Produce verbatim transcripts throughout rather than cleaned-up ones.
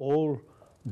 All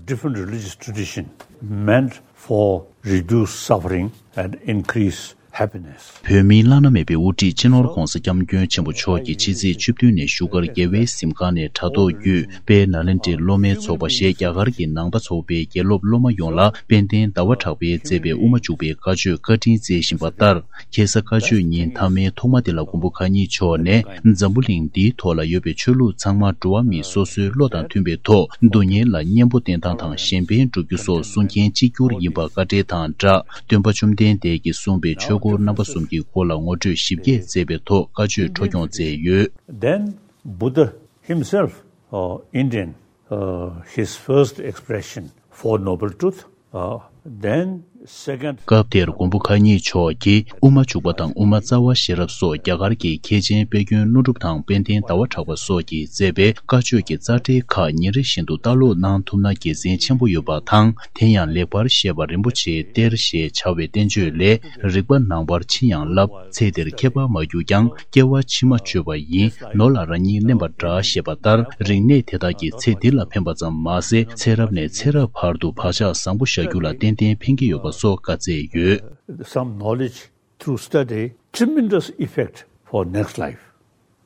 different religious tradition meant for reduce suffering and increase happiness. བོད་མིའི་བླ་ན་མེད་པའི་དབུ་ཁྲིད་སྤྱི་ནོར་༧གོང་ས་༧སྐྱབས་མགོན་ཆེན་པོ་མཆོག་གིས་ཕྱི་ཚེས་བཅུ་བདུན་ནས་བཞུགས་སྒར་རྒྱལ་བའི་གཟིམ་ཁང་ནས་དྲ་ཐོག་བརྒྱུད་དཔལ་ནཱ་ལེནྡྲའི་སློབ་མའི་ཚོགས་པ་ཞེས་རྒྱ་གར་གྱི་ནང་པ་ཚོགས་པའི་དགེ་སློབ་སློབ་མ་ཡོངས་ལ་དཔལ་ལྡན་ཟླ་བ་གྲགས་པས་མཛད་པའི་དབུ་མ་འཇུག་པའི་བཀའ་ཆོས་བཀའ་དྲིན་སྩལ་བཞིན་པ་ལྟར། ཁ་སང་བཀའ་ཆོས་ཉིན་མཐའ་མའི་ཐོག་མ་དེ་ལ་མགོན་པོ་མཁའ་འགྱུར་མཆོག་ནས་འཛམ་བུ་གླིང་འདིའི་ཐོག་ལ་ཡོད་པའི་ཆོས་ལུགས་ཚང་མ་འགྲོ་བ་མི་སོ་སོའི་བློ་དང་མཐུན་པའི་ཐོག་སྡུག་བསྔལ་ལ་གཉེན་པོ་བསྟེན་སྟངས་དང་གཞན་ཕན་སྒྲུབ་རྒྱུ་སོགས་སྲུང་མཁན་གཅིག་གྱུར་ཡིན་པ་བཀའ་འགྲེལ་དང་སྦྲགས། སྟོན་པ་བཅོམ་ལྡན་འདས་ཀྱིས་གསུངས་པའི་ཆོས་སྐོར་རྣམ་པ་གསུམ་གྱི་སྐོར་ལ་ངོ་སྤྲོད་ཞིབ་རྒྱས་མཛད་པའི་ཐོག་བཀའ་ཆོས་འཁྲབ་སྐྱོང་མཛད་ཡོད། Then Buddha himself, uh, Indian, uh, his first expression, Four Noble Truth, uh, then second. སྐབས་དེར་མགོན་པོ་མཁའ་འགྱུར་མཆོག་གིས་དབུ་མ་འཇུག་པ་དང་དབུ་མ་རྩ་བ་ཤེས་རབ་སོགས་རྒྱ་གར་གྱི་མཁས་ཆེན་དཔལ་མགོན་ཀླུ་སྒྲུབ་དང་དཔལ་ལྡན་ཟླ་བ་གྲགས་པ་སོགས་ཀྱིས་མཛད་པའི་བཀའ་ཆོས་ཀྱི་རྩ་འགྲེལ་ཁག་ཉིན་རེ་བཞིན་དུ་ལྟ་ཀློག་གནང་ཐུབ་ན་དགེ་མཚན་ཆེན་པོ་ཡོད་པ་དང་། དེ་ཡང་ལེགས་པར་བཤད་པ་རིན་པོ་ཆེའི་གཏེར་ཞེས་བྱ་བའི་བསྟན་བཅོས་ལས། རིག་པ་ནང་པར་ཕྱིན་ཡང་བསླབ། ཚེ་འདིར་ཁྱད་པར་མ་གྱུར་ཀྱང་། སྐྱེ་བ་ཕྱི་མ་བཅོས་པ་ཡིན། ནོར་ལ་རང་ཉིད་ལེན་པ་འདྲ་ཞེས་པ་ལྟར། རིག་གནས་དེ་དག་གིས་ཚེ་འདི་ལ་ཕན་པ་ཙམ་མ་ཟད། ཚེ་རབས་ནས་ཚེ་རབས་བར་དུ་བག་ཆགས་བཟང་པོ་བཞག་རྒྱུ་ལ་ཏན་ཏན་ཕན་གྱི་ཡོད་པ་སོགས་བཀའ་སྩལ་ཡོད། Some knowledge through study, tremendous effect for next life.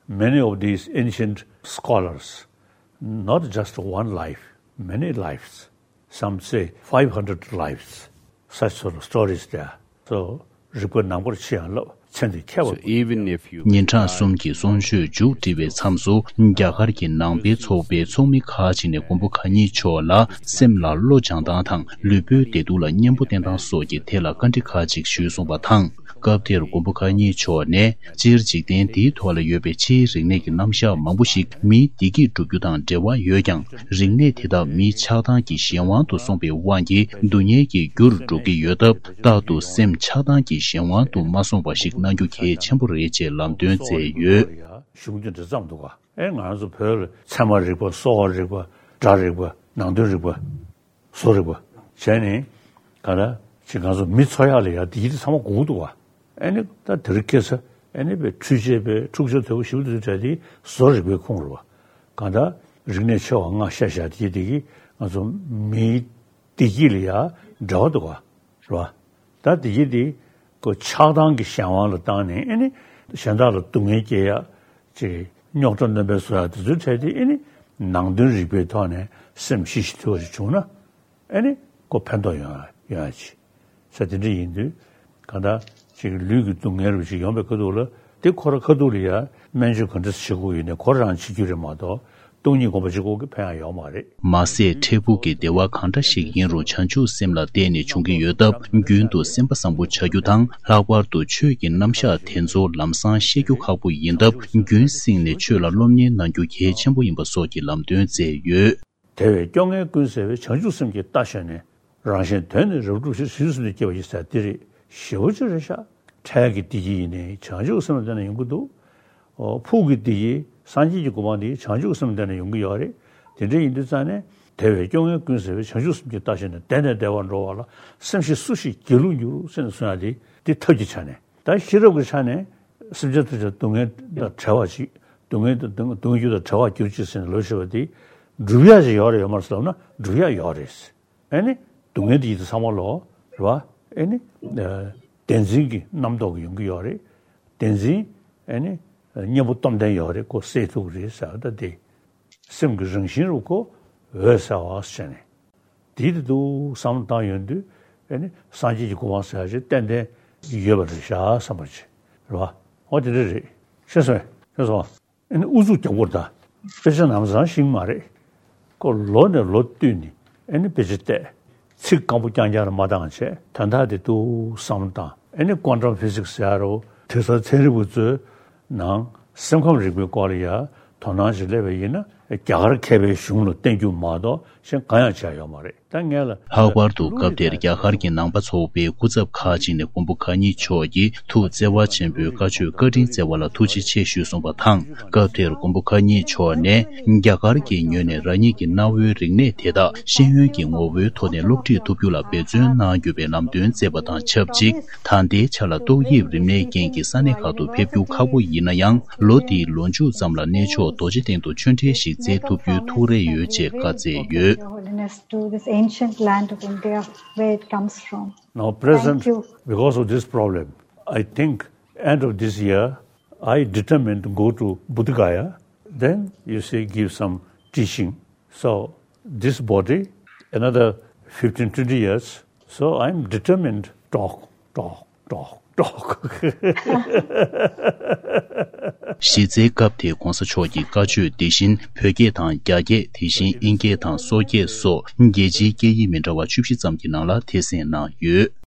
Many of these ancient scholars, not just one life, many lives, some say five hundred lives, such sort of stories there. So, རིག་པ་ནང་པར་ཕྱིན་ཡང་བསླབ། ཚེ་འདི་ཁྱད་པར། So even if you ཉིན་གྲངས་གསུམ་གྱི་གསུང་ཆོས་མཇུག་སྒྲིལ་བའི་མཚམས་སུ། རྒྱ་གར་གྱི་ནང་པའི་ཚོགས་པའི་ཚོགས་མི་ཁག་ཅིག་ནས་མགོན་པོ་མཁའ་འགྱུར་མཆོག་ལ་སེམས་ལ་བློ་སྦྱང་སྟངས་དང་ལུས་པོའི་བདེ་སྡུག་ལ་གཉེན་པོ་བསྟེན་སྟངས་སོགས་ཀྱི་ཐད་ལ་བཀའ་འདྲི་ཁག་ཅིག་ཞུས་སོང་བ་དང་། སྐབས་དེར་མགོན་པོ་མཁའ་འགྱུར་མཆོག་ནས། སྤྱིར་འཇིག་རྟེན་འདིའི་ཐོག་ལ་ཡོད་པའི་ཕྱིའི་རིག་གནས་ཀྱི་རྣམ་གཞག་མང་པོ་ཞིག་མིའི་བདེ་སྐྱིད་སྒྲུབ་རྒྱུ་དང་འབྲེལ་བ་ཡོད་ཀྱང་། རིག་གནས་དེ་དག་མིའི་ཆགས་སྡང་གི་གཞན་དབང་དུ་སོང་པའི་དབང་གིས་སྡུག་བསྔལ་གྱི་རྒྱུར་འགྲོ་གི་ཡོད་སྟབས། རྟག་ཏུ་སེམས་ཆགས་སྡང་གི་གཞན་དབང་དུ་མ་སོང་བ་ཞིག་གནང་རྒྱུ་གལ་ཆེན་པོ་རེད་ཅེས་ལམ་སྟོན་མཛད་ཡོད། གཞུང་དེ་འདྲ་བརྩམས་འདུག་ག་ཨེ་ང་རང་ཚོ་བོད་ལ་ཚད་མ་རིག་པ། གསོ་བ་རིག་པ། སྒྲ་རིག་པ། ནང་དོན་རིག་པ། བཟོ་རིག་པ་བྱས་ནས། ག་ལ་ཅིག་ང་ཚོ་མི་འཚོ་ཡག་ལ་ཡ་དེ་ཡིད་ཚང་མ་དགོས་འདུག་བ། ཨ་ནི་ད་དེ་རིང་ཁ་སང་ཨ་ནི་བའི་འཕྲུལ་ཆས་པའི་འཁྲུག་ཆ་དོད་པོ་ཞིག་ཏུ་བྱས་དེ་བཟོ་རིག་པའི་ཁོངས་རུ་བ། གང་ལྟར་རིག་གནས་ཆེ་བ་ལྔ་བཤད་བཞག་དེ་དེ་གིས་ང་ཚོ་མིའི་བདེ་སྐྱིད་ལ་ཡ་འབྲེལ་བ་འདུག་བ། རེད་བ། ད་དེ་གིས་དེ་ཁོ་ཆགས་སྡང་གི་གཞན་དབང་ལ་བཏང་ནས། ཨ་ནི་གཞན་དག་ལ་སྡུག་བསྔལ་སྐྱེལ་ཡག་ཅིག་རྙོག་དྲ་སྣོན་པ་བཟོ་ཡག་དེ་ཚོའི་གྲས་དེ། ཨ་ནི་ནང་དོན་རིག་པའི་ཐོག་ནས་སེམས་ཞི་ཞིང་དུལ་བ་ཞིག་བྱུང་ན། ཨ་ནི་ཁོ་ཕན་ཐོགས་ཡོང་ཡ་ཡོང་ཡ་ཅིག་ས་དེ་འདྲ་ཡིན་དུས། གང་ལྟར་ཅིག་ལུས་ཀྱི་སྡུག་བསྔལ་རུ་ཅིག་ཡོང་པའི་ཁ་ཐུག་ལ། དེ་ཁོ་རང་ཁ་ཐུག་ལ་ཡ་སྨན་བཅོས་ག་འདྲ་བྱེད་དགོས་ཡིན་ནའི་ཁོ་རང་བྱེད་རྒྱུ་རེད་མ་གཏོགས། སྟོང་ཉིད་སྒོམ་པ་གཅིག་པོ་གིས་ཕན་ཡག་ཡོད་མ་རེད། མ་ཟད་འཕྲལ་ཕུགས་ཀྱི་བདེ་བ་གང་འདྲ་ཞིག་ཡིན་རུང་བྱང་ཆུབ་སེམས་ལ་བརྟེན་ནས་འབྱུང་གི་ཡོད་སྟབས། རྒྱུན་དུ་སེམས་པ་བཟང་པོ་བྱ་རྒྱུ་དང་། ལྷག་པར་དུ་ཆོས་ཀྱི་རྣམ་གཞག་དེ་ཚོ་ལམ་སང་ཤེས་རྒྱུ་ཁག་པོ་ཡིན་སྟབས། རྒྱུན་བསྲིངས་ནས་ཆོས་ལ་སློབ་གཉེར་གནང་རྒྱུ་གལ་ཆེན་པོ་ཡིན་པ་སོགས་ཀྱི་ལམ་སྟོན་མཛད་ཡོད། དེ་བས་སྐྱོ་ངལ་ཀུན་སེལ་བའི་བྱང་ཆུབ་སེམས་ཀྱི་རྟ་ཞོན་ནས། རང་གཞན་དོན་ནི་རབ་བསྒྲུབ་ཕྱིར། བྱང་ཆུབ་སེམས་ནི་སྐྱེ་བ་ཡི་ཟེར་འདི་རེད། ཞེ་པོ་ཅིག་རེད་ཤག་འཕྲལ་གྱི་བདེ་སྐྱིད་ཡིན་ནའི་བྱང་ཆུབ་སེམས་ལ་བརྟེན་ནས་ཡོང་གི་འདུག་ཨོ། ཕུགས་ཀྱི་བདེ་སྐྱིད་སངས་རྒྱས་ཀྱི་གོ་འཕང་འདི་བྱང་ཆུབ་སེམས་ལ་བརྟེན་ནས་ཡོང་གི་ཡོད་རེད། དེ་འདྲ་ཡིན་དུས་ཙང་ནས། དེ་བས་སྐྱོ་ངལ་ཀུན་སེལ་བའི། བྱང་ཆུབ་སེམས་ཀྱི་རྟ་ཞོན་ནས། བདེ་ནས་བདེ་བར་འགྲོ་བ་ལ། སེམས་ཤེས་སུ་ཞིག་སྒྱིད་ལུག་འགྱུར། ཟེར་ནས་གསུང་ཡག་འདི་འདི་ཐབས་ཀྱི་ཆ་ནས། ད་ཤེས་རབ་ཀྱི་ཆ་ནས་སེམས་ཅན་ཐམས་ཅད་སྡུག་བསྔལ་དང་བྲལ་བ་ཅིག་སྡུག་བསྔལ་དང་སྡུག་བསྔལ་རྒྱུ་དང་བྲལ་བར་གྱུར་ཅིག་ཟེར་ནས་ལབ་བཞག་པ་འདི་སྒྲུབ་ཡག་ཅིག་ཡོད་རེད་ཡོད་མ་རེད་ཟེར་ལབ་ན། སྒྲུབ་ཡག་ཡོད་རེད། ཨ་ནི་སྡུག་བསྔལ་འདི་ཡིད་དུ་ཚང་མ་ལོ། རེད་བ། ཨ་ནི་བདེན་འཛིན་གྱི་རྣམ་རྟོག་གི་ཡོང་གི་ཡོད་རེད། བདེན་འཛིན་ཨ་ནི་གཉེན་པོ་སྟོབས་ལྡན་ཡོད་རེད། ཁོ་སེལ་ཐུབ་ཀྱི་རེད་ཟེར་བ་ད་དེ། སེམས་ཀྱི་རང་བཞིན་རུ་ཁོ་འོད་གསལ་བ་ཟེར་ནས། དེའི་དེ་འདུག་བསམ་བློ་བཏང་ཡོང་དུས། ཨ་ནི་སངས་རྒྱས་ཀྱི་གོ་འཕང་ཟེར་ཡག་ཅིག་ཏན་ཏན་ཡོད་པ་རེད་ཤག་བསམ་པ་ཅིག་རེད་བ། འོ་དེ་འདྲ་རེད། ཤེས་སོང་། ཤེས་སོང་། ཨ་ནི་ཨུ་ཚུགས་རྒྱག་དགོས་རེད་ད། དཔེ་ཆ་ནམ་སང་ཤེས་ཀྱི་མ་རེད། ཁོ་ལོ་ནས་ལོ་བསྟུད་ནས་ཨ་ནི་དཔེ་ཆ་བལྟས། ཚིག་སྐམ་པོ་རྐྱང་རྐྱང་རེ་མ་བཏང་བྱས། དོན་དག་དེ་འདུག་བསམ་བློ་བཏང་། ཨ་ནི་ཀོན་ཊམ་ཕི་ཟིག་སི་ཟེར་ཡག་རོ། དེང་སང་ཚན་རིག་པ་ཚོའི་ནང་སེམས་ཁམས་རིག་པའི་སྐོར་ལ་ཡ་དོ་སྣང་ཞིག་སླེབས་པ་ཡིན་ན། རྒྱ་གར་མཁས་པའི་གཞུང་ལ་བརྟེན་རྒྱུ་མ་གཏོགས་གཞན་གང་ཡང་བྱས་ཡོད་མ་རེད། ད་ངས་ལ་ལྷག་པར་དུ་སྐབས་དེར་རྒྱ་གར་གྱི་ནང་པ་ཚོགས་པའི་སྐུ་ཚབ་ཁག་ཅིག་ནས་མགོན་པོ་གང་ཉིད་མཆོག་གི་ཐུགས་བརྩེ་བ་ཆེན་པོའི་བཀའ་ཆོས་བཀའ་དྲིན་སྩལ་བ་ལ་ཐུགས་རྗེ་ཆེ་ཞུས་གསུངས་པ་དང་། སྐབས་དེར་མགོན་པོ་གང་ཉིད་མཆོག་ནས་རྒྱ་གར་གྱི་ངོས་ནས་རང་ཉིད་ཀྱི་གནའ་བོའི་རིག་གནས་དེ་དག་ཤེས་ཡོན་གྱི་ངོ་བོའི་ཐོག་ནས་སློབ་ཁྲིད་ཐུབ་རྒྱུ་ལ་འབད་བརྩོན་གནང་རྒྱུ་བའི་ལམ་སྟོན་སྩལ་བ་དང་ཆབས་ཅིག་ད་ལྟའི་ཆ་ལ་ཏོག་དབྱིབས་རིམས་ནད་རྐྱེན་གྱིས་ས་གནས་ཁག་ཏུ་ཕེབས་རྒྱུ་ཁག་པོ་ཡིན་ན་ཡང་། ལོ་འདིའི་ལོ་མཇུག་ཙམ་ལ་གནས་མཆོག་རྡོ་རྗེ་གདན་དུ་ཆོས་འབྲེལ་ཞིག་སྩལ་ཐུབ་རྒྱུའི་ཐུགས་རེ་ཡོད་ཅེས་བཀའ་སྩལ་ཡོད། Your Holiness, to this ancient land of India where it comes from. Now, present, thank you. Because of this problem, I think end of this year, I determined to go to Bodh Gaya. Then, you see, give some teaching. So, this body, another fifteen, twenty years. So, I'm determined, talk, talk, talk, talk. གཞི་རྩའི་སྐབས་དེའི་གོང་ས་མཆོག་གི་བཀའ་ཆོས་དེ་བཞིན་བོད་སྐད་དང་རྒྱ་སྐད། དེ་བཞིན་དབྱིན་སྐད་དང་སོག་སྐད་སོགས་རྒྱལ་སྤྱིའི་སྐད་ཡིག་མི་འདྲ་བ་བཅུ་བཞི་ཙམ་གྱི་ནང་ལ་ཐེར་འདོན་གནང་ཡོད།